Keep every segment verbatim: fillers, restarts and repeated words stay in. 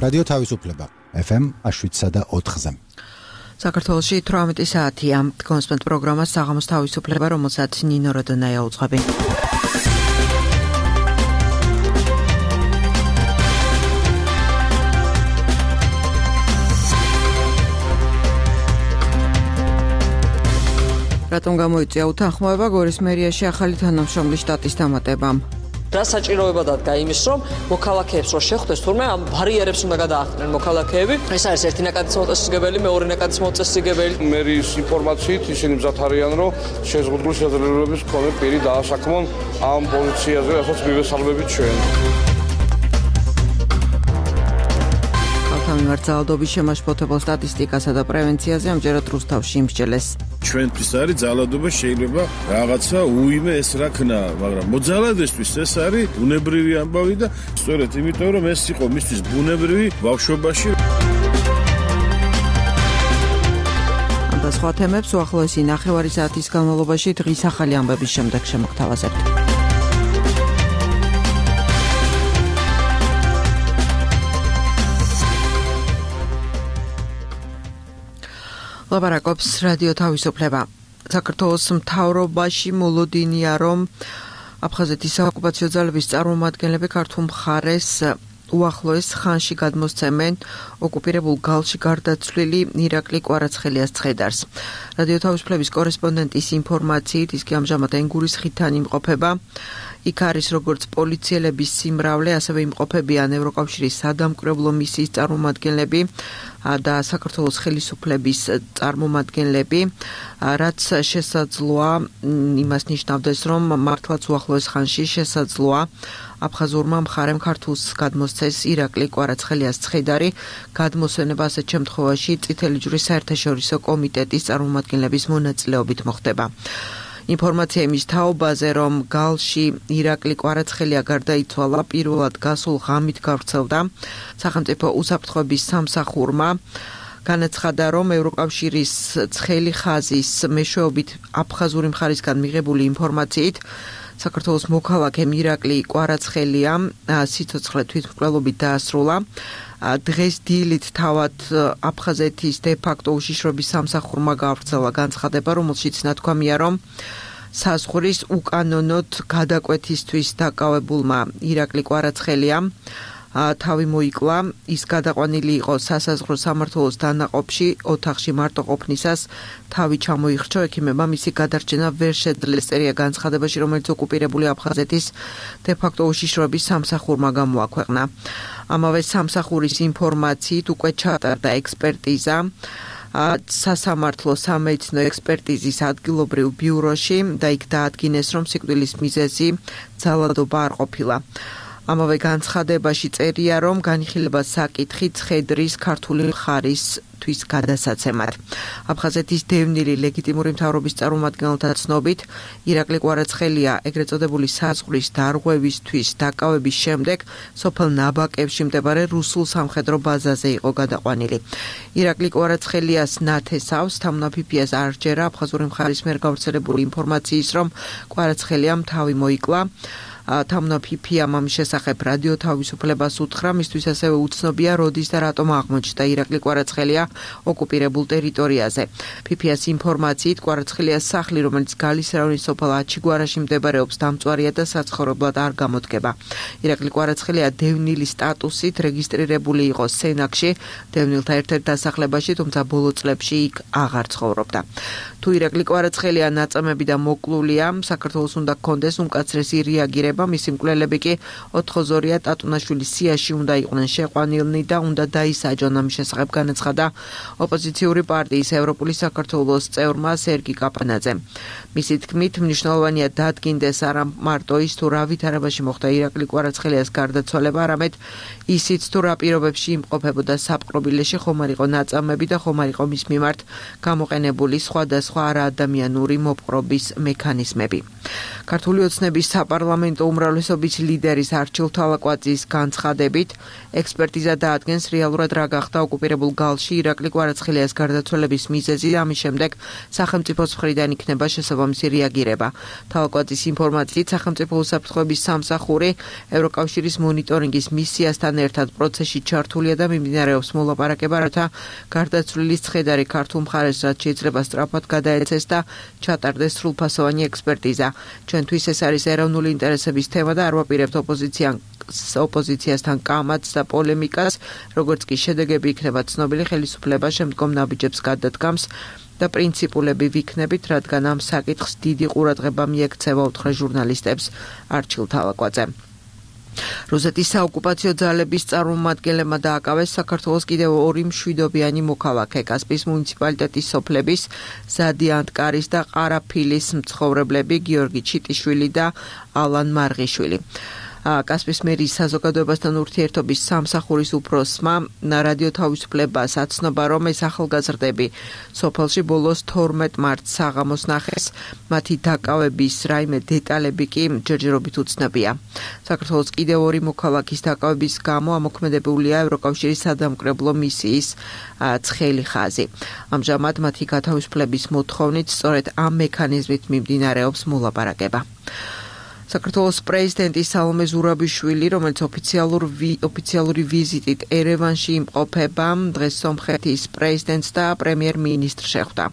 რადიო თავისუფლება ეფ ემ შვიდსა და ოთხზე. საქართველოში თვრამეტი საათია. კონსპენდ პროგრამას საღამოს თავისუფლება, რომელსაც ნინო როდონაია უძღვები. რატომ გამოიწვია უთანხმოება გორის მერიაში ახალი თანამშრომლის შტატის დამატებამ? რა საჭიროება დადგა იმის, რომ მოქალაქეებს რო შეხვდეს თურმე ამ ბარიერებს უნდა გადაახდნენ მოქალაქეები. ეს არის ერთი ნაკადის მოწესრიგებელი, მეორე ნაკადის მოწესრიგებელი. მერის ინფორმაციით ისინი მზად არიან, რომ შეზღუდული შესაძლებლობების მქონე პირი დაასაქმონ ამ პოზიციაზე, რასაც მივესალმებით ჩვენ. მიმართალადობის შემაშფოთებელ სტატისტიკასა და პრევენციაზე ამჯერად რუსთავში იმსჯელეს. ჩვენთვის არის ძალადობა, შეიძლება რაღაცა უიმე ეს რა ქნა, მაგრამ მოძალადესთვის ეს არის ბუნებრივი ამბავი და სწორედ იმიტომ რომ ეს იყო მისთვის ბუნებრივი ბავშვობაში. ამ და სხვა თემებს უახლოესი ნახევარი საათის განმავლობაში დღის ახალი ამბების შემდეგ შემოგთავაზებთ. ლაპარაკობს რადიო თავისუფლება. საქართველოს მთავრობაში მოლოდინია, რომ აფხაზეთის საოკუპაციო ძალების წარმომადგენლები ქართულ მხარეს უახლოეს ხანში გადმოსცემენ ოკუპირებულ გალში გარდაცვლილი ირაკლი კვარაცხელიას ცხედარს. რადიო თავისუფლების კორესპონდენტის ინფორმაციით, ის კი ამჟამად ენგურის ხიდთან იმყოფება. იქ არის როგორც პოლიციელების სიმრავლე, ასევე იმყოფებიან ევროკავშირის სადამკვირვებლო მისიის წარმომადგენლები და საქართველოს ხელისუფლების წარმომადგენლები, რაც შესაძლოა იმას ნიშნავდეს, რომ მართლაც უახლოეს ხანში შესაძლოა აფხაზურმა მხარემ ქართულს გადმოსცეს ირაკლი კვარაცხელიას ცხედარი, გადმოსვენება ასეთ შემთხვევაში წითელი ჯვრის საერთაშორისო კომიტეტის წარმომადგენლების მონაწილეობით მოხდება. ინფორმაცია იმის თაობაზე, რომ გალში ირაკლი კვარაცხელია გარდაიცვალა, პირველად გასულ ღამით გავრცელდა სახელმწიფო უსაფრთხოების სამსახურმა. განაცხადა, რომ ევროკავშირის ცხელი ხაზის მეშვეობით აფხაზური მხარისგან მიღებული ინფორმაციით საქართველოს მოქალაქემ ირაკლი კვარაცხელია სიცოცხლე თვითმკვლელობით დაასრულა. დღეს დილით თავად აფხაზეთის დე-ფაქტო უშიშროების სამსახურმა გავრცელა განცხადება, რომელშიც ნათქვამია, რომ საზღვრის უკანონოდ გადაკვეთისთვის დაკავებულმა ირაკლი კვარაცხელიამ თავი მოიკლა, ის გადაყვანილი იყო სასაზღვრო სამმართველოს დანაყოფში, ოთახში მარტო ყოფნისას თავი ჩამოიხრჩო, ექიმებმა მისი გადარჩენა ვერ შეძლეს, წერია განცხადებაში, რომელიც ოკუპირებული აფხაზეთის დე-ფაქტო უშიშროების სამსახურმა გამოაქვეყნა. ამავე სამსახურის ინფორმაციით უკვე ჩატარდა ექსპერტიზა სასამართლო სამედიცინო ექსპერტიზის ადგილობრივ ბიუროში და იქ დაადგინეს, რომ სიკვდილის მიზეზი ძალადობა არ ყოფილა. ამავე განცხადებაში წერია, რომ განიხილება საკითხი ცხედრის ქართული მხარისთვის გადასაცემად. აფხაზეთის დევნილი ლეგიტიმური მთავრობის წარმომადგენელთა ცნობით, ირაკლი კვარაცხელია ეგრეთ წოდებული საზღვრის დარღვევისთვის დაკავების შემდეგ სოფელ ნაბაკებში მდებარე რუსულ სამხედრო ბაზაზე იყო გადაყვანილი. ირაკლი კვარაცხელიას ნათესავს თამნაფიფიას არ ჯერა აფხაზური მხარის მიერ გავრცელებული ინფორმაციის, რომ კვარაცხელიამ თავი მოიკლა. თამნა ფიფიამ ამ შესახებ რადიო თავისუფლებას უთხრა, მისთვის ასევე უცნობია როდის და რატომ აღმოჩნდა ირაკლი კვარაცხელია ოკუპირებულ ტერიტორიაზე. ფიფიას ინფორმაციით, კვარაცხელიას სახლი, რომელიც გალის რაიონის სოფელ აჩიგვარაში მდებარეობს, დამწვარია და საცხოვრებლად არ გამოდგება. ირაკლი კვარაცხელია დევნილის სტატუსით რეგისტრირებული იყო სენაკში, დევნილთა ერთ-ერთ დასახლებაში, თუმცა ბოლო წლებში იქ აღარ ცხოვრობდა. თუ ირაკლი კვარაცხელია ნაწამები და მოკლულია, საქართველოს უნდა გქონდეს უმკაცრესი რეაგირება. მისი მკვლელები კი ოთხოზორია ტატუნაშვილის სიაში უნდა იყვნენ შეყვანილნი და უნდა დაისაჯონ. ამის შესახებ განაცხადა ოპოზიციური პარტიის ევროპული საქართველოს წევრმა სერგი კაპანაძემ. მისი თქმით, მნიშვნელოვანია დადგინდეს არა მარტო ის, თუ რა ვითარებაში მოხდა ირაკლი კვარაცხელიას გარდაცვალება, არამედ ისიც, თუ რა პირობებში იმყოფებოდა საპყრობილეში, ხომ არ იყო ნაწამები და ხომ არ იყო მის მიმართ გამოყენებული სხვადასხვა არაადამიანური მოპყრობის მექანიზმები. ქართული ოცნების საპარლამენტო უმრავლესობის ლიდერის არჩილ თვალაკვაძის განცხადებით, ექსპერტიზა დაადგენს რეალურად რა გახდა ოკუპირებულ გალში ირაკლი კვარაცხელიას გარდაცვალების მიზეზი და ამის შემდეგ სახელმწიფოს მხრიდან იქნება შესაბამისი რეაგირება. თვალაკვაძის ინფორმაციით, სახელმწიფო უსაფრთხოების სამსახური ევროკავშირის მონიტორინგის მისიასთან ერთად პროცესში ჩართულია და მიმდინარეობს მოლაპარაკება, რათა გარდაცვლილის ცხედარი ქართულ მხარეს რაც შეიძლება სწრაფად გადაეცეს და ჩატარდეს სრულფასოვანი ექსპერტიზა. ჩვენთვის ეს არის ეროვნული ინტერესების თემა და არ ვაპირებთ ოპოზიციასთან კამათს და პოლემიკას, როგორც კი შედეგები იქნება ცნობილი, ხელისუფლება შემდგომ ნაბიჯებს გადადგამს და პრინციპულები ვიქნებით, რადგან ამ საკითხს დიდი ყურადღება მიექცევა, უთხრა ჟურნალისტებს არჩილ თვალაკვაძე. რუსეთის საოკუპაციო ძალების წარმომადგენლებმა დააკავეს საქართველოს კიდევ ორი მშვიდობიანი მოქალაქე, კასპიის მუნიციპალიტეტის სოფლების ზადი ანტკარის და ყარაფილის მცხოვრებლები გიორგი ჩიტიშვილი და ალან მარღიშვილი. კასპიის მერის საზოგადოებასთან ურთიერთობის სამსახურის უფროსმა რადიო თავისუფლებას აცნობა, რომ ეს ახალგაზრდები სოფელში ბოლოს თორმეტ მარტს საღამოს ნახეს, მათი დაკავების რაიმე დეტალები კი ჯერჯერობით უცნობია. საქართველოს კიდევ ორი მოქალაქის დაკავების გამო ამოქმედებულია ევროკავშირის სადამკრებლო მისიის ცხელი ხაზი. ამჟამად მათი გათავისუფლების მოთხოვნით სწორედ ამ მექანიზმით მიმდინარეობს მოლაპარაკება. საქართველოს პრეზიდენტი სალომე ზურაბიშვილი, რომელიც ოფიციალური ვიზიტით ერევანში იმყოფება, დღეს სომხეთის პრეზიდენტს და პრემიერ-მინისტრს შეხვდა.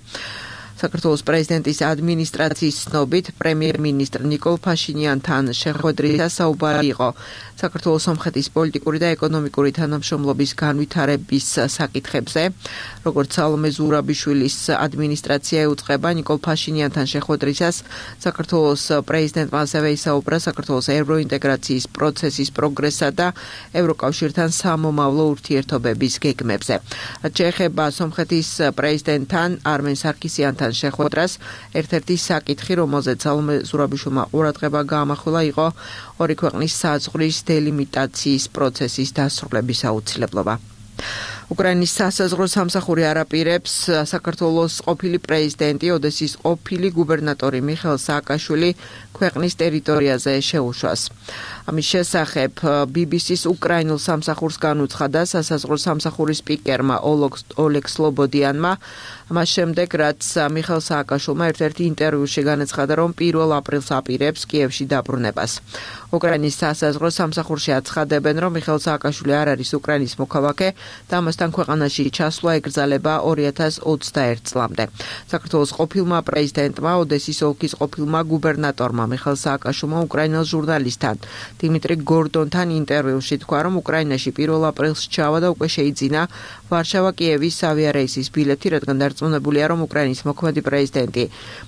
საქართველოს პრეზიდენტის ადმინისტრაციის ცნობით, პრემიერ-მინისტრ ნიკოლ ფაშინიანთან შეხვედრით საუბარი იყო საქართველოს სომხეთის პოლიტიკური და ეკონომიკური თანამშრომლობის განვითარების საკითხებზე. როგორც სალომე ზურაბიშვილის ადმინისტრაცია ეუწყება, ნიკოლ ფაშინიანთან შეხვედრისას საქართველოს პრეზიდენტმა ასევე ისაუბრა საქართველოს ევროინტეგრაციის პროცესის პროგრესსა და ევროკავშირთან სამომავლო ურთიერთობების გეგმებზე. რაც შეეხება სომხეთის პრეზიდენტთან არმენ სარკისიანთან შეხვედრას, ერთ-ერთი საკითხი, რომელზეც სალომე ზურაბიშვილმა ყურადღება გაამახვილა, იყო ორი ქვეყნის საზღვრის დელიმიტაციის პროცესის დასრულების აუცილებლობა. უკრაინის სასაზღვრო სამსახური არაპირებს საქართველოს ყოფილი პრეზიდენტი, ოდესის ყოფილი გუბერნატორი მიხეილ სააკაშვილი ქვეყნის ტერიტორიაზე შეუშვას. ამის შესახებ ბი ბი სის უკრაინულ სამსახურს განუცხადა სასაზღვრო სამსახურის სპიკერმა ოლეგ სლობოდიანმა, მას შემდეგ, რაც მიხეილ სააკაშვილმა ერთ-ერთი ინტერვიუში განაცხადა, რომ პირველ აპრილს აპირებს კიევში დაბრუნებას. უკრაინის სასაზღვრო სამსახურში აცხადებენ, რომ მიხეილ სააკაშვილი არ არის უკრაინის მოქალაქე და ამასთან ქვეყანაში ჩასვლა ეკრძალება ორი ათას ოცდაერთ წლამდე. საქართველოს ყოფილმა პრეზიდენტმა, ოდესის ოლქის ყოფილმა გუბერნატორმა მიხეილ სააკაშვილმა უკრაინელ ჟურნალისტთან დიმიტრი გორდონთან ინტერვიუში თქვა, რომ უკრაინაში პირველ აპრილს ჩავა და უკვე შეიძინა ვარშავა-კიევის ავიარეისის ბილეთი, რადგან დარწმუნებულია, რომ უკრაინის მოქმედი პრეზიდენტი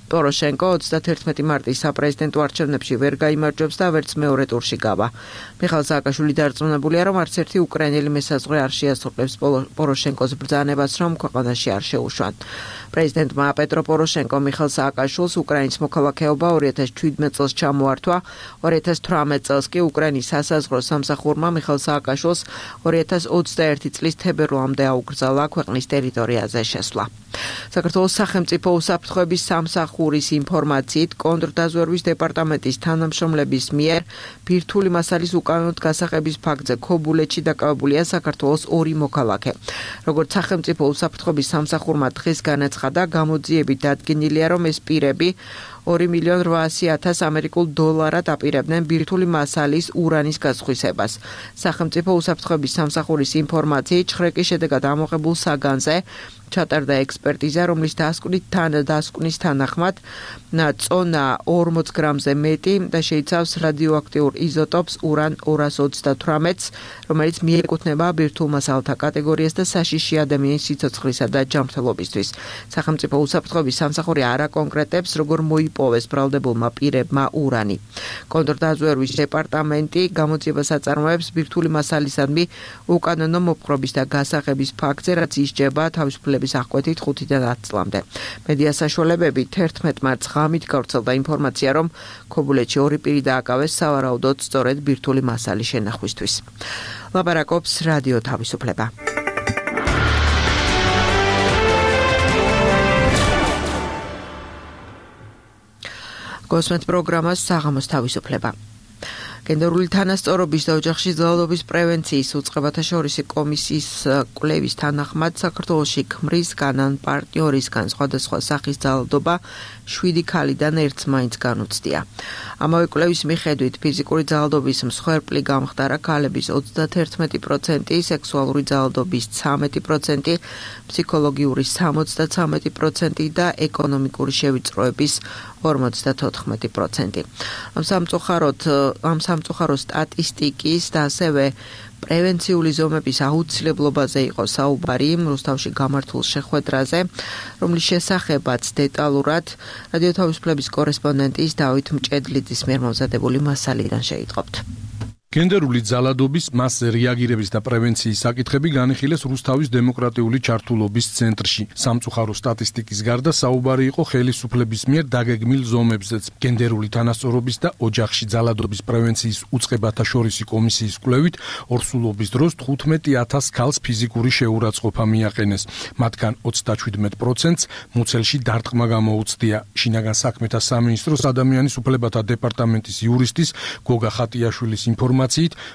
პოროშენკო ოცდათერთმეტი მარტის საპრეზიდენტო არჩევნებში ვერ გაიმარჯვებს და ვერც მეორე ტურში გავა. მიხეილ სააკაშვილი დარწმუნებულია, რომ არც ერთი უკრაინელი მესაზღვრე არ შეასრულებს პოროშენკოს ბრძანებას, რომ ქვეყანაში არ შეუშვან. პრეზიდენტმა პეტრო პოროშენკო მიხეილ სააკაშვილს უკრაინის მოქალაქეობა ორი ათას შვიდმეტ წელს ჩამოართვა, ორი ათას თვრამეტ წელს კი უკრაინის სასაზღვრო სამსახურმა მიხეილ სააკაშვილს ორი ათას ოცდაერთი წლის თებერვლამდე აუკრძალა ქვეყნის ტერიტორიაზე შესვლა. საქართველოს სახელმწიფო უსაფრთხოების სამსახურის ინფორმაციით, კონტრდაზვერვის დეპარტამენტის თანამშრომლების მიერ ბირთვული მასალის უკანონოდ გასაღების ფაქტზე ქობულეთში დაკავებულია საქართველოს ორი მოქალაქე. როგორც სახელმწიფო უსაფრთხოების სამსახურმა დღეს განაცხადა, გამოძიებით დადგენილია, რომ ეს პირები ორი მილიონი რვაასი ათას ამერიკულ დოლარად აპირებდნენ ბირთვული მასალის ურანის გასხვისებას. სახელმწიფო უსაფრთხოების სამსახურის ინფორმაციით, ჩხრეკის შედეგად ამოღებულ საგანზე ჩატარდა ექსპერტიზა, რომლის დასკვნით თან დასკვნის თანახმად წონა ორმოც გრამზე მეტი და შეიცავს რადიოაქტიურ იზოტოპს ურან ორას ოცდათვრამეტს, რომელიც მიეკუთვნება ბირთვულ მასალთა კატეგორიას და საშიში ადამიანის სიცოცხლისა და ჯანმრთელობისთვის. სახელმწიფო უსაფრთხოების სამსახური არ აკონკრეტებს, როგორ მოიპოვეს ბრალდებულმა პირებმა ურანი. კონტრდაზვერვის დეპარტამენტი გამოძიებას აწარმოებს ბირთვული მასალისადმი უკანონო მოპყრობის და გასაღების ფაქტზე, რაც ისჯება თავისუფლების აღკვეთით ხუთიდან ათ წლამდე. მედია საშუალებები თერთმეტ მარტს ღამით გავრცელდა ინფორმაცია, რომ ქობულეთში ორი პირი დააკავეს სავარაუდოდ სწორედ ბირთვული მასალის შენახვისთვის. ლაპარაკობს რადიო თავისუფლება. გოსმეთ პროგრამას საღამოს თავისუფლება. გენდერული თანასწორობის და ოჯახში ძალადობის პრევენციის უწყებათა შორისი კომისიის კვლევის თანახმად საქართველოში ქმრისგან ან პარტნიორისგან სხვადასხვა სახის ძალადობა შვიდი ქალიდან ერთს მაინც განუცდია. ამავე კვლევის მიხედვით ფიზიკური ძალადობის მსხვერპლი გამხდარა ქალების ოცდათერთმეტი პროცენტი, სექსუალური ძალადობის ცამეტი პროცენტი, ფსიქოლოგიური სამოცდათრამეტი პროცენტი და ეკონომიკური შევიწროების ორმოცდათოთხმეტი პროცენტი. ამ სამწუხაროდ ამ სამწუხარო სტატისტიკის და ასევე პრევენციული ზომების აუცილებლობაზე იყო საუბარი რუსთავში გამართულ შეხვედრაზე, რომლის შესახებაც დეტალურად რადიო თავისუფლების კორესპონდენტის დავით მჭედლიძის მიერ მომზადებული მასალიდან შეიტყობთ. გენდერული ძალადობის მასზე რეაგირების და პრევენციის საკითხები განიხილეს რუსთავის დემოკრატიული ჩართულობის ცენტრში. სამწუხარო სტატისტიკის გარდა საუბარი იყო ხელისუფლების მიერ დაგეგმილ ზომებზეც. გენდერული თანასწორობის და ოჯახში ძალადობის პრევენციის უწყებათა შორისი კომისიის კვლევით ორსულობის დროს თხუთმეტი ათას ქალს ფიზიკური შეურაცხყოფა მიაყენეს. მათგან ოცდაშვიდმეტ პროცენტს მუცელში დარტყმა გამოუცდია. შინაგან საქმეთა სამინისტროს ადამიანის უფლებათა დეპარტამენტის იურისტის გოგა ხატიაშვილის ინფორმაციით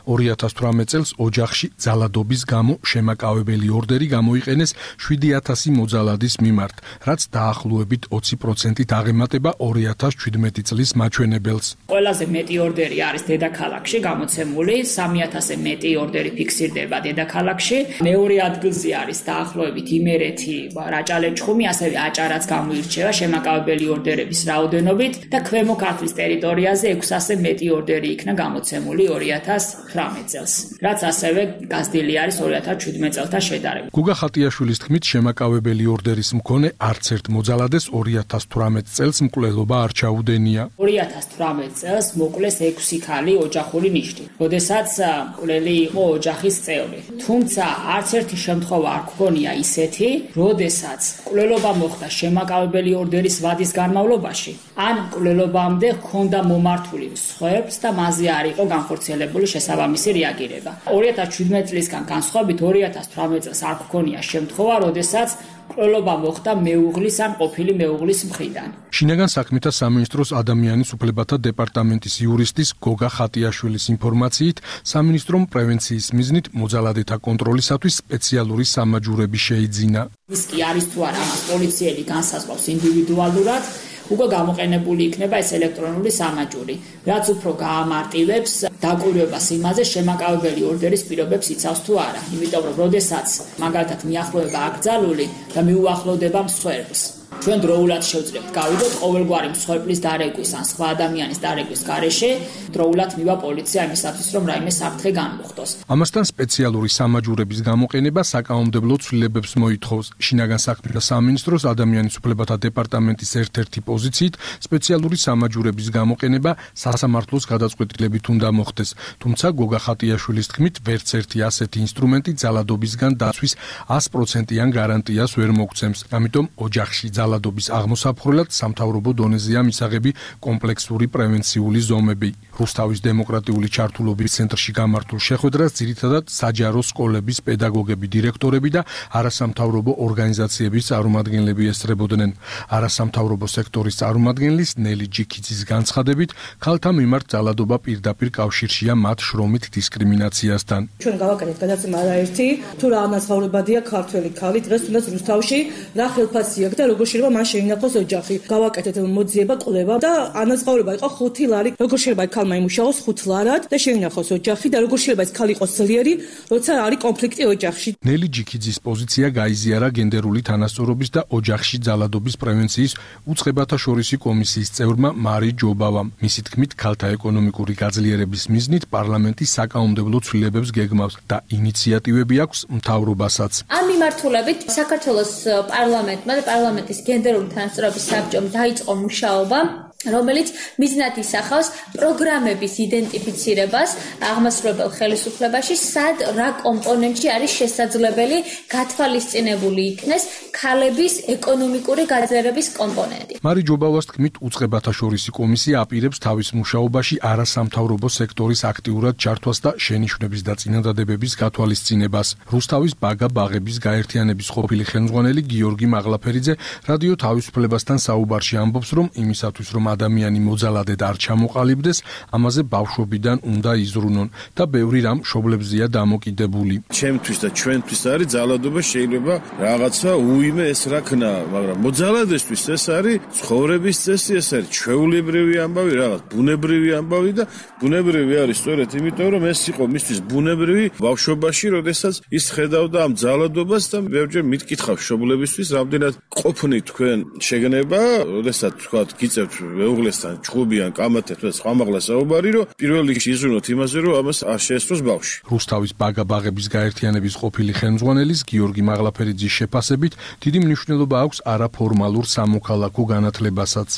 ორი ათას თვრამეტ წელს ოჯახში ძალადობის გამო შემაკავებელი ორდერი გამოიყენეს შვიდი ათასი მოძალადის მიმართ, რაც დაახლოებით ოცი პროცენტით აღემატება ორი ათას ჩვიდმეტი წლის მაჩვენებელს. ყველაზე მეტი ორდერი არის დედაქალაქში გამოცემული, სამი ათასზე მეტი ორდერი ფიქსირდება დედაქალაქში. მეორე ადგილზე არის დაახლოებით იმერეთი, რაჭალეჩხუმი, ასევე აჭარაც გამოირჩევა შემაკავებელი ორდერების რაოდენობით და ქვემო ქართლის ტერიტორიაზე ექვსასზე მეტი ორდერი იქნა გამოცემული ორი ათას თვრამეტ წელს, რაც ასევე გაზრდილი არის ორი ათას შვიდმეტ წელთან შედარებით. გუგა ხატიაშვილის თქმით, შემაკავებელი ორდერის მქონე არც ერთ მოძალადეს ორი ათას თვრამეტ წელს მკვლელობა არ ჩაუდენია. ორი ათას თვრამეტ წელს მოკლეს ექვსი ქალი ოჯახური ნიშნით, როდესაც მკვლელი იყო ოჯახის წევრი. თუმცა არც ერთი შემთხვევა არ გქონია ისეთი, როდესაც მკვლელობა მოხდა შემაკავებელი ორდერის ვადის განმავლობაში, ან მკვლელობამდე ჰქონდა მომართული მსხვერპლს და მასზე არ იყო განხორციელებული შესაბამისი რეაგირება. ორი ათას შვიდმეტ წლისგან განსხვავებით ორი ათას თვრამეტ წელს არ გქონია შემთხვევა, როდესაც მკვლელობა მოხდა მეუღლის ან ყოფილი მეუღლის მხრიდან. შინაგან საქმეთა სამინისტროს ადამიანის უფლებათა დეპარტამენტის იურისტის გოგა ხატიაშვილის ინფორმაციით, სამინისტრომ პრევენციის მიზნით მოძალადეთა კონტროლისათვის სპეციალური სამაჯურები შეიძინა. ის კი არის თუ არა ამას პოლიციელი განსაზღვრავს ინდივიდუალურად, უკვე გამოყენებული იქნება ეს ელექტრონული სამაჯური, რაც უფრო გაამარტივებს დაკვირვებას იმაზე, შემაკავებელი ორდერის პირობებს იცავს თუ არა. იმიტომ რომ როდესაც მაგალითად მიახლოება აკრძალული და მიუახლოვდება მსხვერპლს, ჩვენ დროულად შევძლებთ გავიდოთ ყოველგვარი მსხვერპლის დარეგვის ან სხვა ადამიანის დარეგვის გარეშე, დროულად მივა პოლიცია იმისათვის, რომ რაიმე საფრთხე განმოხდოს. ამასთან სპეციალური სამაჯურების გამოყენება საკანონმდებლო ცვლილებებს მოითხოვს. შინაგან საქმეთა სამინისტროს ადამიანის უფლებათა დეპარტამენტის ერთ-ერთი პოზიციით სპეციალური სამაჯურების გამოყენება სასამართლოს გადაწყვეტილებით უნდა მოხდეს. თუმცა გოგა ხატიაშვილის თქმით, ვერც ერთი ასეთი ინსტრუმენტი ძალადობისგან დაცვის ას პროცენტიან გარანტიას ვერ მოგცემს. ამიტომ ოჯახში ძალადობის აღმოსაფხვრელად სამთავრობო დონეზეა მისაღები კომპლექსური პრევენციული ზომები. რუსთავის დემოკრატიული ჩართულობის ცენტრში გამართულ შეხვედრას ძირითადად საჯარო სკოლების პედაგოგები, დირექტორები და არასამთავრობო ორგანიზაციების წარმომადგენლები ესწრებოდნენ. არასამთავრობო სექტორის წარმომადგენლის ნელი ჯიქიძის განცხადებით, ქალთა მიმართ ძალადობა პირდაპირ კავშირშია მათ შრომით დისკრიმინაციასთან. ჩვენ გავაკეთეთ გადაცემა არაერთი, თუ რა ანაზღაურებადია ქართველი ქალი დღეს თუნდაც რუსთავში, რა ხელფასი აქვს და როგორ შეიძლება მან შეინახოს ოჯახი. გავაკეთეთ მოძიება, კვლევა და ანაზღაურება იყო ხუთი ლარი. როგორ შეიძლება ქალმა იმუშაოს ხუთ ლარად და შეინახოს ოჯახი და როგორ შეიძლება ეს ქალი იყოს ძლიერი, როცა არის კონფლიქტი ოჯახში. ნელი ჯიქიძის პოზიცია გაიზიარა გენდერული თანასწორობის და ოჯახში ძალადობის პრევენციის უწყებათა შორისი კომისიის წევრმა მარი ჯობავამ. მისი თქმით, ქალთა ეკონომიკური გაძლიერების მიზნით პარლამენტი საკანონმდებლო ცვლილებებს გეგმავს და ინიციატივები აქვს მთავრობასაც. ამ მიმართულებით საქართველოს პარლამენტმა და პარლამენტის გენდერული თანასწორობის საბჭომ დაიწყო მუშაობა, რომელიც მიზნად ისახავს პროგრამების იდენტიფიცირებას აღმასრულებელ ხელისუფლებაში, სად რა კომპონენტში არის შესაძლებელი გათვალისწინებული იქნეს ქალების ეკონომიკური გაძლიერების კომპონენტი. მარი ჯობავას თქმით, უწყებათა შორისი კომისია აპირებს თავის მუშაობაში არასამთავრობო სექტორის აქტიურად ჩართვას და შენიშვნების და წინადადებების გათვალისწინებას. რუსთავის ბაგა ბაღების გაერთიანების ყოფილი ხელმძღვანელი გიორგი მაღლაფერიძე რადიო თავისუფლებასთან საუბარში ამბობს, რომ იმისათვის, რომ ადამიანი მოძალადედ არ ჩამოყალიბდეს, ამაზე ბავშვობიდან უნდა იზრუნონ და ბევრი რამ მშობლებზეა დამოკიდებული. ჩემთვის და ჩვენთვის არის ძალადობა შეიძლება რაღაცა უიმე ეს რა ქნა, მაგრამ მოძალადესთვის ეს არის ცხოვრების წესი, ეს არის ჩვეულებრივი ამბავი, რაღაც ბუნებრივი ამბავი და ბუნებრივი არის სწორედ იმიტომ, რომ ეს იყო მისთვის ბუნებრივი ბავშვობაში, როდესაც ის ხედავდა ამ ძალადობას და ბევრჯერ მითკითხავ მშობლებისთვის, რამდენად ყოფნით თქვენ შეგნება, როდესაც თქვა გიწევთ მეუღლესთან ჩხუბიან კამათებს და სხვამაღლა საუბარი, რომ პირველ რიგში იზრუნოთ იმაზე, რომ ამას არ შეესწროს ბავშვი. რუსთავის ბაგა-ბაღების გაერთიანების ყოფილი ხელმძღვანელის გიორგი მაღლაფერიძის შეფასებით დიდი მნიშვნელობა აქვს არაფორმალურ სამოქალაქო განათლებასაც.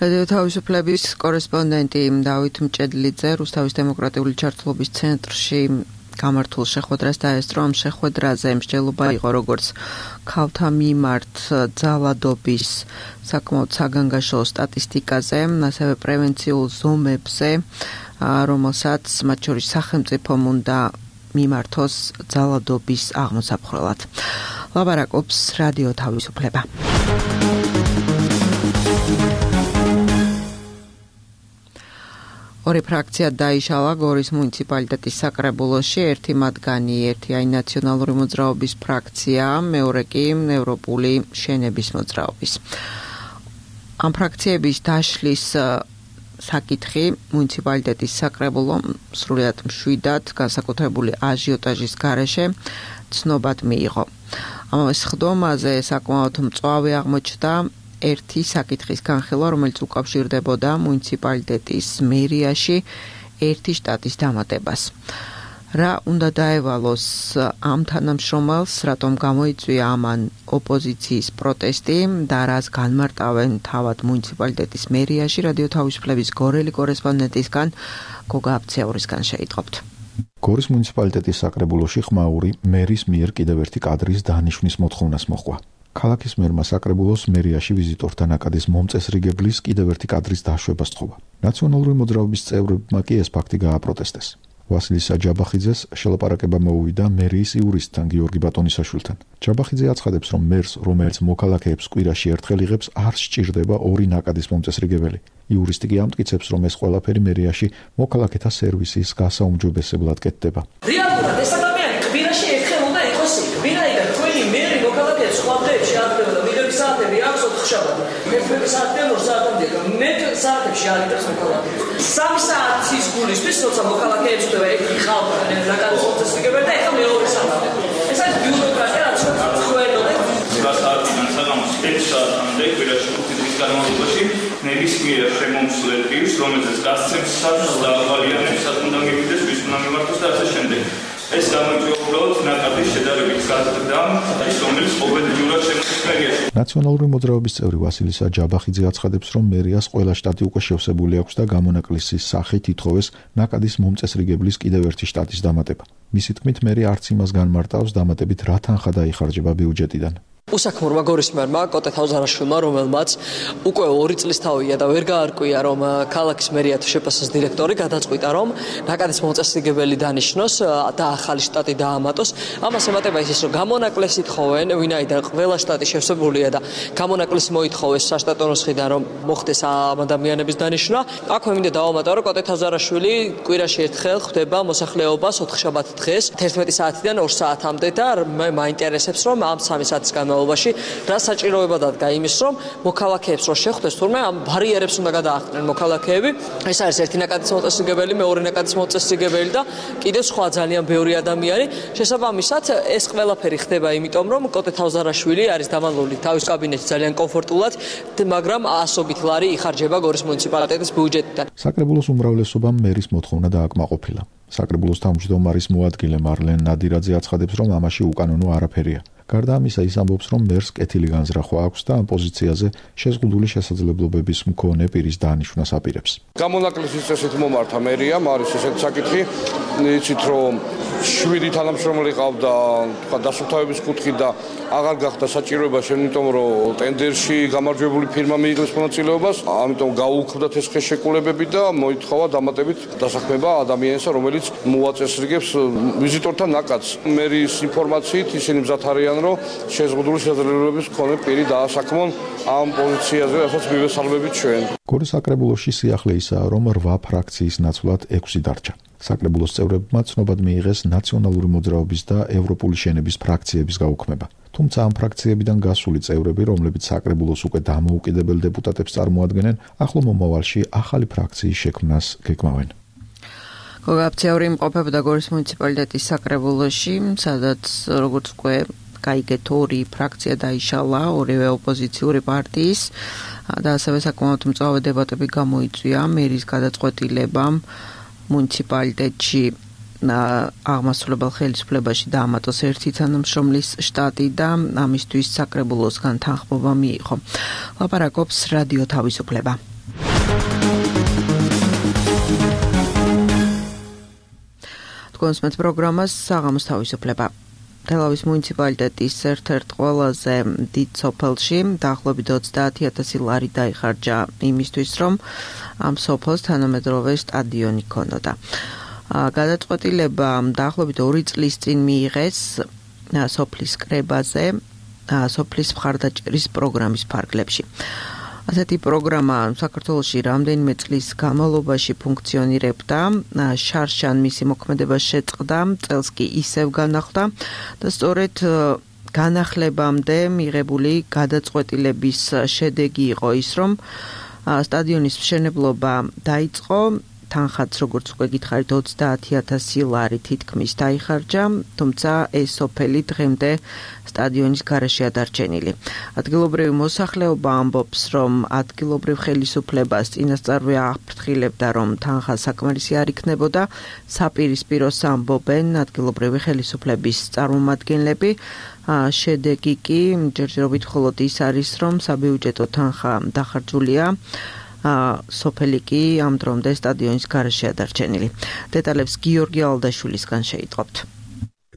რადიო თავისუფლების კორესპონდენტი დავით მჭედლიძე რუსთავის დემოკრატიული ჩართულობის ცენტრში გამართულ შეხვედრას დაესწრო. ამ შეხვედრაზე მსჯელობა იყო როგორც ქალთა მიმართ ძალადობის საკმაოდ საგანგაშო სტატისტიკაზე, ასევე პრევენციულ ზომებზე, რომელსაც მათ შორის სახელმწიფომ უნდა მიმართოს ძალადობის აღმოსაფხვრელად. ლაბარაკობს რადიო თავისუფლება. ორი ფრაქცია დაიშალა გორის მუნიციპალიტეტის საკრებულოში, ერთი მათგანი ერთი აი ნაციონალური მოძრაობის ფრაქცია, მეორე კი ევროპული შენების მოძრაობის. ამ ფრაქციების დაშლის საკითხი მუნიციპალიტეტის საკრებულომ სრულიად მშვიდად განსაკუთრებული აჟიოტაჟის გარეშე ცნობად მიიღო. ამავე სხდომაზე საკმაოდ მწვავე აღმოჩნდა ერთი საკითხის განხილვა, რომელიც უკავშირდებოდა მუნიციპალიტეტის მერიაში ერთი შტატის დამატებას. რა უნდა დაევალოს ამ თანამშრომელს, რატომ გამოიწვია ამან ოპოზიციის პროტესტი და რას განმარტავენ თავად მუნიციპალიტეტის მერიაში, რადიო თავისუფლების გორელი კორესპონდენტისგან გოგა აბცეურისგან შეიტყობთ. გორის მუნიციპალიტეტის საკრებულოში ხმაური მერის მიერ კიდევ ერთი კადრის დანიშვნის მოთხოვნას მოჰყვა. ქალაქის მერმა საკრებულოს მერიაში ვიზიტორთა ნაკადის მომწესრიგებლის კიდევ ერთი კადრის დაშვება სთხოვა. ნაციონალური მოძრაობის წევრებმა კი ეს ფაქტი გააპროტესტეს. ვასილი საჯაბახიძეს შელაპარაკება მოუვიდა მერიის იურისტთან გიორგი ბატონისაშვილთან. ჯაბახიძე აცხადებს, რომ მერს, რომელიც მოქალაქეებს კვირაში ერთხელ იღებს, არ სჭირდება ორი ნაკადის მომწესრიგებელი. იურისტი კი ამტკიცებს, რომ ეს ყველაფერი მერიაში მოქალაქეთა სერვისის გასაუმჯობესებლად კეთდება. რეალურად ეს ადამიანი კვირაში ერთხელ უნდა იყოს იქ. ვინაიდან თქვენი მერი მოქალაქეებს ხვამდებში აღდება და მიღების საათები აქვს ოთხშაბათი. მეფრები საათიდან ორ საათამდე. მე საათებში აღიწევს მოქალაქეებს. სამი საათის გულისთვის, როცა მოქალაქეებს ხდება ერთი ხალხი ნაკადის მომწესრიგებელი და ეხლა მეორე საათი. ეს არის ბიუროკრატია, რაც ხველოდა. საათიდან საღამოს ექვს საათამდე კვირაში ხუთი დღის განმავლობაში ნებისმიერ შემომსვლელს, რომელზეც გასცემს საათს და ავალიანებს საათ უნდა მივიდეს, ვის უნდა მიმართოს და ასე შემდეგ. ეს გამოიწვია უბრალოდ ნაკადის შედარებით გაზრდა, ის რომელიც ყოველდღიურად შემოსის მერიაში. ნაციონალური მოძრაობის წევრი ვასილი საჯაბახიძე აცხადებს, რომ მერიას ყველა შტატი უკვე შევსებული აქვს და გამონაკლისის სახით ითხოვეს ნაკადის მომწესრიგებლის კიდევ ერთი შტატის დამატება. მისი თქმით, მერი არც იმას განმარტავს, დამატებით რა თანხა დაიხარჯება ბიუჯეტიდან. უსაქმურმა გორის მერმა კოტე თავზარაშვილმა, რომელმაც უკვე ორი წლის თავია და ვერ გაარკვია, რომ ქალაქის მერია თუ შეფასოს დირექტორი გადაწყვიტა, რომ ნაკადის მომწესრიგებელი დანიშნოს და ახალი შტატი დაამატოს. ამას ემატება ის, რომ გამონაკლისი ითხოვენ, ვინაიდან ყველა შტატი შევსებულია და გამონაკლისი მოითხოვეს საშტატო ნუსხიდან, რომ მოხდეს ამ ადამიანების დანიშვნა. აქვე მინდა დავამატო, რომ კოტე თავზარაშვილი კვირაში ერთხელ ხვდება მოსახლეობას ოთხშაბათ დღეს თერთმეტი საათიდან ორ საათამდე და მაინტერესებს, რომ ამ სამი საათის განმავლობაში რა საჭიროება დადგა იმის, რომ მოქალაქეებს რო შეხვდეს თურმე ამ ბარიერებს უნდა გადაახდნენ მოქალაქეები. ეს არის ერთი ნაკადის მომწესრიგებელი, მეორე ნაკადის მომწესრიგებელი და კიდევ სხვა ძალიან ბევრი ადამიანი. შესაბამისად, ეს ყველაფერი ხდება იმიტომ, რომ კოტე თავზარაშვილი არის დამალული თავის კაბინეტში ძალიან კომფორტულად, მაგრამ ასობით ლარი იხარჯება გორის მუნიციპალიტეტის ბიუჯეტიდან. საკრებულოს უმრავლესობამ მერის მოთხოვნა დააკმაყოფილა. საკრებულოს თავმჯდომარის მოადგილე მარლენ ნადირაძე აცხადებს, რომ ამაში უკანონო არაფერია. გარდა ამისა, ის ამბობს, რომ მერს კეთილი განზრახვა აქვს და ამ პოზიციაზე შეზღუდული შესაძლებლობების მქონე პირის დანიშვნას აპირებს. გამონაკლისის წესით მომართა მერიამ არის ესეთი საკითხი, იცით რომ შვიდი თანამშრომელი ყავდა, თქვა დასუფთავების კუთხით და აღარ გახდა საჭიროება შემიტომ რომ ტენდერში გამარჯვებული ფირმა მიიღოს მონაწილეობას, ამიტომ გაუქმდათ ეს ხელშეკრულებები და მოითხოვა დამატებით დასაქმება ადამიანისა, რომელიც მოაწესრიგებს ვიზიტორთა ნაკადს. მერის ინფორმაციით ისინი მზად არიან, რომ შეზღუდული შესაძლებლობების მქონე პირი დაასაქმონ ამ პოზიციაზე, რასაც მივესალმებით ჩვენ. გორის საკრებულოში სიახლე ისაა, რომ რვა ფრაქციის ნაცვლად ექვსი დარჩა. საკრებულოს წევრებმა ცნობად მიიღეს ნაციონალური მოძრაობის და ევროპული შენების ფრაქციების გაუქმება. თუმცა ამ ფრაქციებიდან გასული წევრები, რომლებიც საკრებულოს უკვე დამოუკიდებელ დეპუტატებს წარმოადგენენ, ახლო მომავალში ახალი ფრაქციის შექმნას გეგმავენ. გოგაფციური იმყოფებოდა გორის მუნიციპალიტეტის საკრებულოში, სადაც როგორც უკვე გაიგეთ ორი ფრაქცია დაიშალა, ორივე ოპოზიციური პარტიის და ასევე საკმაოდ მწვავე დებატები გამოიწვია მერის გადაწყვეტილებამ მუნიციპალიტეტში აღმასრულებელ ხელისუფლებაში დაამატოს ერთი თანამშრომლის შტატი და ამისთვის საკრებულოსგან თანხმობა მიიღო. ლაპარაკობს რადიო თავისუფლება. კონსმეთ პროგრამას საღამოს თავისუფლება. თელავის მუნიციპალიტეტის ერთ-ერთ ყველაზე დიდ სოფელში დაახლოებით ოცდაათი ათასი ლარი დაიხარჯა იმისთვის, რომ ამ სოფელს თანამედროვე სტადიონი ქონოდა. გადაწყვეტილება დაახლოებით ორი წლის წინ მიიღეს სოფლის კრებაზე, სოფლის მხარდაჭერის პროგრამის ფარგლებში. ასეთი პროგრამა საქართველოში რამდენიმე წლის განმავლობაში ფუნქციონირებდა, შარშან მისი მოქმედება შეწყდა, წელს კი ისევ განახლდა და სწორედ განახლებამდე მიღებული გადაწყვეტილების შედეგი იყო ის, რომ სტადიონის მშენებლობა დაიწყო, თანხაც როგორც უკვე გითხარით ოცდაათი ათასი ლარი თითქმის დაიხარჯა, თუმცა ეს სოფელი დღემდე სტადიონის გარეშეა დარჩენილი. ადგილობრივი მოსახლეობა ამბობს, რომ ადგილობრივ ხელისუფლებას წინასწარვე აფრთხილებდა, რომ თანხა საკმარისი არ იქნებოდა, საპირისპიროს ამბობენ ადგილობრივი ხელისუფლების წარმომადგენლები. შედეგი კი ჯერჯერობით მხოლოდ ის არის, რომ საბიუჯეტო თანხა დახარჯულია. სოფელი კი ამ დრომდე სტადიონის გარეშეა დარჩენილი. დეტალებს გიორგი ალდაშვილისგან შეიტყობთ.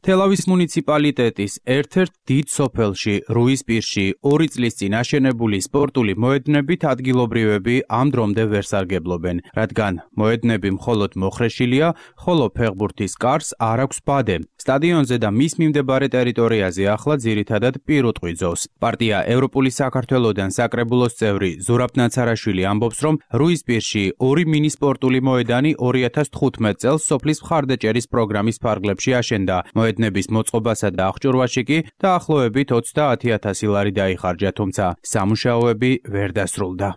თელავის მუნიციპალიტეტის ერთ-ერთ დიდ სოფელში, რუისპირში, ორი წლის წინ აშენებული სპორტული მოედნებით ადგილობრივები ამ დრომდე ვერ სარგებლობენ, რადგან მოედნები მხოლოდ მოხრეშილია, ხოლო ფეხბურთის კარს არ აქვს ბადე. სტადიონზე და მის მიმდებარე ტერიტორიაზე ახლა ძირითადად პირუტყვი ძოვს. პარტია ევროპული საქართველოდან საკრებულოს წევრი ზურაბ ნაცარაშვილი ამბობს, რომ რუისპირში ორი მინი სპორტული მოედანი ორი ათას თხუთმეტ წელს სოფლის მხარდაჭერის პროგრამის ფარგლებში აშენდა. მოედნების მოწყობასა და აღჭურვაში კი დაახლოებით ოცდაათი ათასი ლარი დაიხარჯა, თუმცა სამუშაოები ვერ დასრულდა.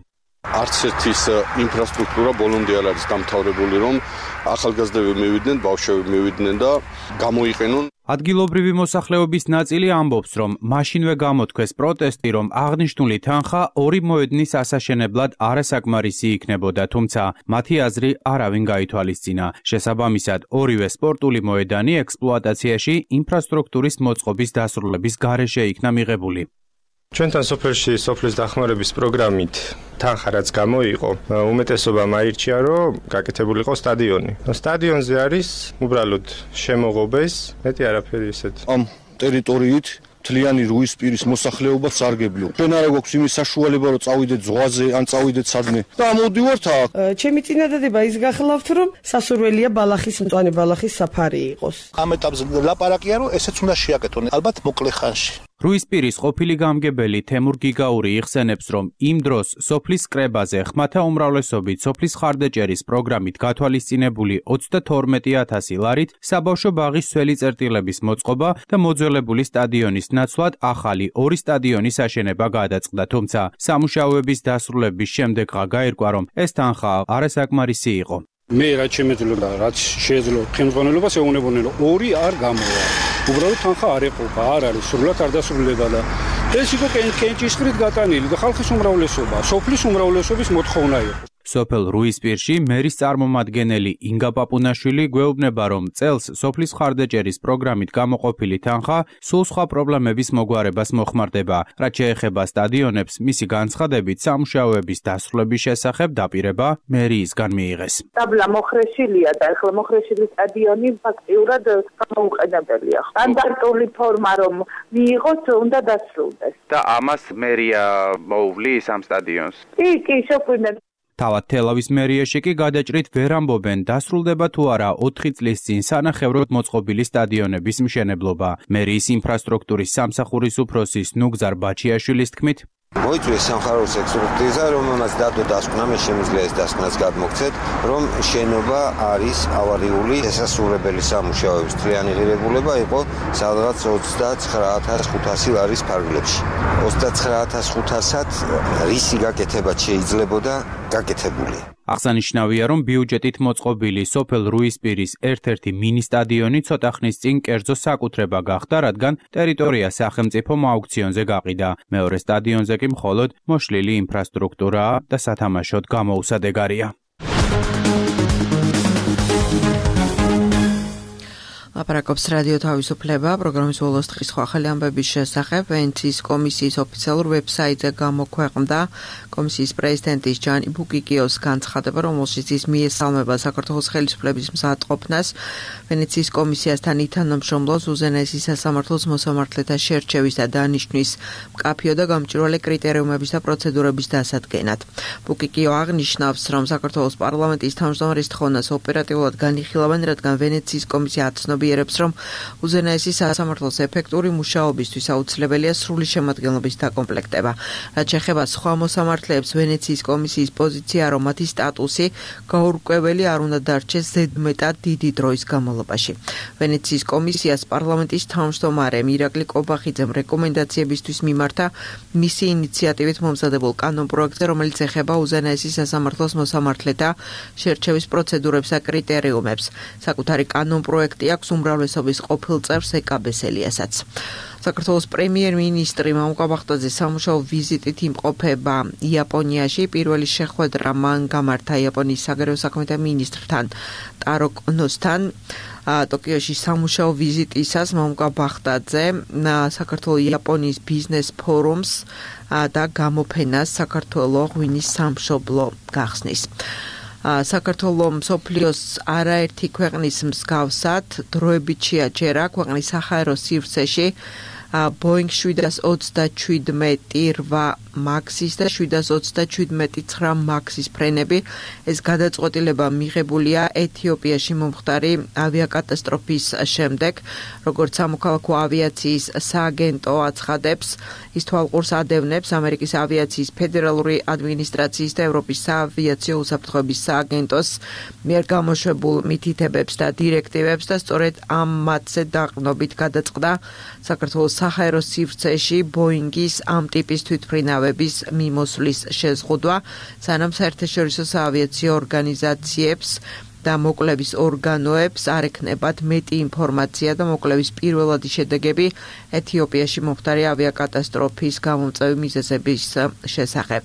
არც ერთის ინფრასტრუქტურა ბოლომდე არ არის დამთავრებული, რომ ახალგაზრდები მივიდნენ, ბავშვები მივიდნენ და გამოიყენონ. ადგილობრივი მოსახლეობის ნაწილი ამბობს, რომ მაშინვე გამოთქვეს პროტესტი, რომ აღნიშნული თანხა ორი მოედნის ასაშენებლად არასაკმარისი იქნებოდა, თუმცა მათი აზრი არავინ გაითვალისწინა. შესაბამისად, ორივე სპორტული მოედანი ექსპლუატაციაში ინფრასტრუქტურის მოწყობის დასრულების გარეშე იქნა მიღებული. ჩვენთან სოფელში სოფლის დახმარების პროგრამით თანხა რაც გამოიყო, უმეტესობამ აირჩია, რომ გაკეთებულიყო სტადიონი. სტადიონზე არის უბრალოდ შემოღობეს, მეტი არაფერი ისეთ. ამ ტერიტორიით მთლიანი რუისპირის მოსახლეობა სარგებლო. ჩვენ არა გვაქვს იმის საშუალება, რომ წავიდეთ ზღვაზე, ან წავიდეთ სადმე. და მოდივართ აქ. ჩემი წინადადება ის გახლავთ, რომ სასურველია ბალახის მწვანე ბალახის საფარი იყოს. ამ ეტაპზე ლაპარაკია, რომ ესეც უნდა შეაკეთონ, ალბათ მოკლე ხანში. რუისპირის ყოფილი გამგებელი თემურ გიგაური იხსენებს, რომ იმ დროს სოფლის კრებაზე ხმათა უმრავლესობით სოფლის მხარდაჭერის პროგრამით გათვალისწინებული ოცდათორმეტი ათასი ლარით საბავშვო ბაღის სველი წერტილების მოწყობა და მოძველებული სტადიონის ნაცვლად ახალი ორი სტადიონის აშენება გადაწყდა, თუმცა სამუშაოების დასრულების შემდეგღა გაირკვა, რომ ეს თანხა არასაკმარისი იყო. მე რაც შემეძლო და რაც შეეძლო ხელმძღვანელობას ეუბნებოდნენ, რომ ორი არ გამოვა. უბრალოდ თანხა არ ეყოფა, არ არის, სრულად არ დასრულდება და ეს იყო კენჭისყრით გატანილი და ხალხის უმრავლესობა, სოფლის უმრავლესობის მოთხოვნა იყო. სოფელ რუისპირში მერის წარმომადგენელი ინგა პაპუნაშვილი გვეუბნება, რომ წელს სოფლის მხარდაჭერის პროგრამით გამოყოფილი თანხა სულ სხვა პრობლემების მოგვარებას მოხმარდება. რაც შეეხება სტადიონებს, მისი განცხადებით სამუშაოების დასრულების შესახებ დაპირება მერიისგან მიიღეს. დაბლა მოხრეშილია და ახლა მოხრეშილი სტადიონი ფაქტიურად გამოუყენებელია. სტანდარტული ფორმა რომ მიიღოს, უნდა დასრულდეს. და ამას მერია მოუვლის ამ სტადიონს. კი, კი, შეგვიძლია. თავად თელავის მერიაში კი გადაჭრით ვერ ამბობენ დასრულდება თუ არა ოთხი წლის წინ სანახევროდ მოწყობილი სტადიონების მშენებლობა. მერიის ინფრასტრუქტურის სამსახურის უფროსის ნუგზარ ბაჩიაშვილის თქმით, მოიწვიეს სამხაროს ექსპერტიზა, რომელმაც დადო დასკვნა, მე შემიძლია ეს დასკვნაც გადმოგცეთ, რომ შენობა არის ავარიული, შესასრულებელი სამუშაოების მთლიანი ღირებულება იყო სადღაც ოცდაცხრა ათას ხუთასი ლარის ფარგლებში. ოცდაცხრა ათას ხუთასად რისი გაკეთებაც შეიძლებოდა გაკეთებული. აღსანიშნავია, რომ ბიუჯეტით მოწყობილი სოფელ რუისპირის ერთ-ერთი მინი სტადიონი ცოტა ხნის წინ კერძო საკუთრება გახდა, რადგან ტერიტორია სახელმწიფო აუქციონზე გაყიდა. მეორე სტადიონზე კი მხოლოდ მოშლილი ინფრასტრუქტურაა და სათამაშოდ გამოუსადეგარია. ლაპარაკობს რადიო თავისუფლება, პროგრამის ბოლოს დღის ახალი ამბების შესახებ ვენეციის კომისიის ოფიციალურ ვებსაიტზე გამოქვეყნდა კომისიის პრეზიდენტის ჯანი ბუკიკიოს განცხადება, რომელშიც ის მიესალმება საქართველოს ხელისუფლების მზადყოფნას ვენეციის კომისიასთან ითანამშრომლოს უზენაესი სასამართლოს მოსამართლეთა შერჩევის და დანიშვნის მკაფიო და გამჭვირვალე კრიტერიუმების და პროცედურების დასადგენად. ბუკიკიო აღნიშნავს, რომ საქართველოს პარლამენტის თავმჯდომარის თხოვნას ოპერატიულად განიხილავენ, რადგან ვენეციის კომისია აცნობიერებს, რომ უზენაესი სასამართლოს ეფექტური მუშაობისთვის აუცილებელია სრული შემადგენლობის დაკომპლექტება. რაც შეეხება სხვა მოსამართლეებს, ვენეციის კომისიის პოზიცია, რომ მათი სტატუსი გაურკვეველი არ უნდა დარჩეს ზედმეტად დიდი დროის განმავლობაში. ვენეციის კომისიას პარლამენტის თავმჯდომარე ირაკლი კობახიძემ რეკომენდაციებისთვის მიმართა მისი ინიციატივით მომზადებულ კანონპროექტზე, რომელიც ეხება უზენაესი სასამართლოს მოსამართლეთა შერჩევის პროცედურებს და კრიტერიუმებს. საკუთარი კანონპროექტი აქვს უმრავლესობის ყოფილ წევრს ეკაბეს ელიასაც. საქართველოს პრემიერ-მინისტრი მამუკა ბახტაძე სამუშაო ვიზიტით იმყოფება იაპონიაში. პირველი შეხვედრა მან გამართა იაპონიის საგარეო საქმეთა მინისტრთან ტარო კონოსთან. ტოკიოში სამუშაო ვიზიტისას მამუკა ბახტაძე საქართველოს იაპონიის ბიზნეს ფორუმს და გამოფენას საქართველოს ღვინის სამშობლო გახსნის. საქართველოს მსოფლიოს არაერთი ქვეყნის მსგავსად დროებით შეაჩერა ქვეყნის საჰაერო სივრცეში Boeing შვიდას ოცდაჩვიდმეტი რვა მაქსის და შვიდას ოცდაჩვიდმეტი ცხრა მაქსის ფრენები. ეს გადაწყვეტილება მიღებულია ეთიოპიაში მომხდარი ავიაკატასტროფის შემდეგ, როგორც სამოქალაქო ავიაციის სააგენტო აცხადებს, ის თვალყურს ადევნებს ამერიკის ავიაციის ფედერალური ადმინისტრაციის და ევროპის საავიაციო უსაფრთხოების სააგენტოს მიერ გამოშვებულ მითითებებს და დირექტივებს და სწორედ ამ მათზე დაყრდნობით გადაწყდა საქართველოს საჰაერო სივრცეში ბოინგის ამ ტიპის თვითმფრინავების მიმოსვლის შეზღუდვა, სანამ საერთაშორისო საავიაციო ორგანიზაციებს და მოკვლევის ორგანოებს არ ექნებათ მეტი ინფორმაცია და მოკვლევის პირველადი შედეგები ეთიოპიაში მომხდარი ავიაკატასტროფის გამომწვევი მიზეზების შესახებ.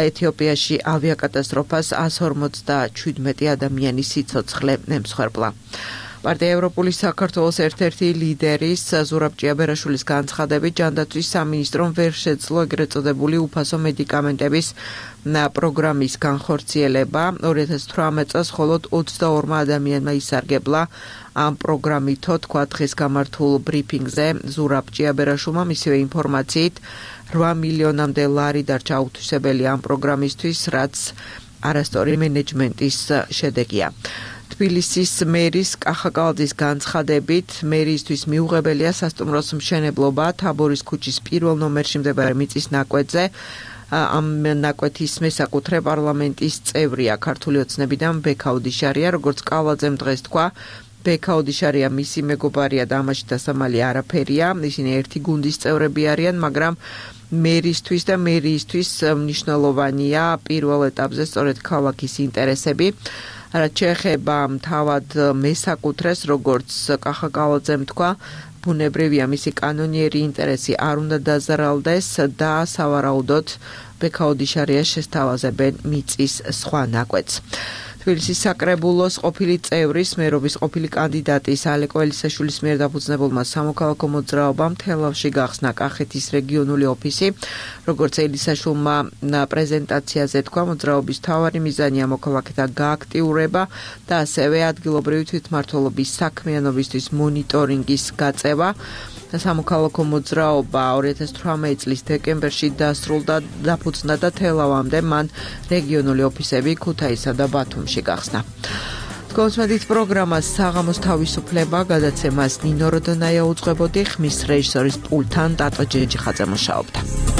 ეთიოპიაში ავიაკატასტროფას εκατს ორმოცდაჩვიდმეტი ადამიანის სიცოცხლე ემსხვერპლა. პარტია ევროპული საქართველოს ერთ-ერთი ლიდერის ზურაბ ჭიაბერაშვილის განცხადებით, ჯანდაცვის სამინისტრომ ვერ შეძლო ეგრეთ წოდებული უფასო მედიკამენტების პროგრამის განხორციელება. ორი ათას თვრამეტ წელს მხოლოდ ოცდაორმა ადამიანმა ისარგებლა ამ პროგრამითო, თქვა დღეს გამართულ ბრიფინგზე ზურაბ ჭიაბერაშვილმა. მისივე ინფორმაციით რვა მილიონამდე ლარი დარჩა აუთვისებელი ამ პროგრამისთვის, რაც არასწორი მენეჯმენტის შედეგია. თბილისის მერის კახაკალაძის განცხადებით, მერიისთვის მიუღებელია სასტუმროს მშენებლობა თაბორის ქუჩის პირველ ნომერში მდებარე მიწის ნაკვეთზე. ამ ნაკვეთის მესაკუთრე პარლამენტის წევრია ქართული ოცნებიდან ბექაუდიშარია, როგორც კალაძემ დღეს თქვა. ბექაუდიშარია მისი მეგობარია და ამაში დასამალი არაფერია. ისინი ერთი გუნდის წევრები არიან, მაგრამ მერისთვის და მერიისთვის მნიშვნელოვანია პირველ ეტაპზე სწორედ ქალაქის ინტერესები. რაც შეეხება თავად მესაკუთრეს, როგორც კახაკალაძემ თქვა, ბუნებრივია მისი კანონიერი ინტერესი არ უნდა დაზარალდეს და სავარაუდოდ ბექაოდიშარია შესთავაზებენ მიწის სხვა ნაკვეთს. თბილისის საკრებულოს ყოფილი წევრის მერობის ყოფილი კანდიდატის ალეკო ელისაშვილის მიერ დაფუძნებულმა სამოქალაქო მოძრაობამ თელავში გახსნა კახეთის რეგიონული ოფისი. როგორც ელისაშვილმა პრეზენტაციაზე თქვა, მოძრაობის მთავარი მიზანია მოქალაქეთა გააქტიურება და ასევე ადგილობრივი თვითმმართველობის საქმიანობისთვის მონიტორინგის გაწევა. სამოქალაქო მოძრაობა ორი ათას თვრამეტი წლის დეკემბერში დასრულდა, დაფუძნდა და თელავამდე მან რეგიონული ოფისები ქუთაისსა და ბათუმში გახსნა. კონსმედით პროგრამას საღამოს თავისუფლება გადაცემას ნინო როდონაია უძღვებოდი, ხმის რეჟისორის პულტთან ტატო ჯეჯიხაძე მუშაობდა.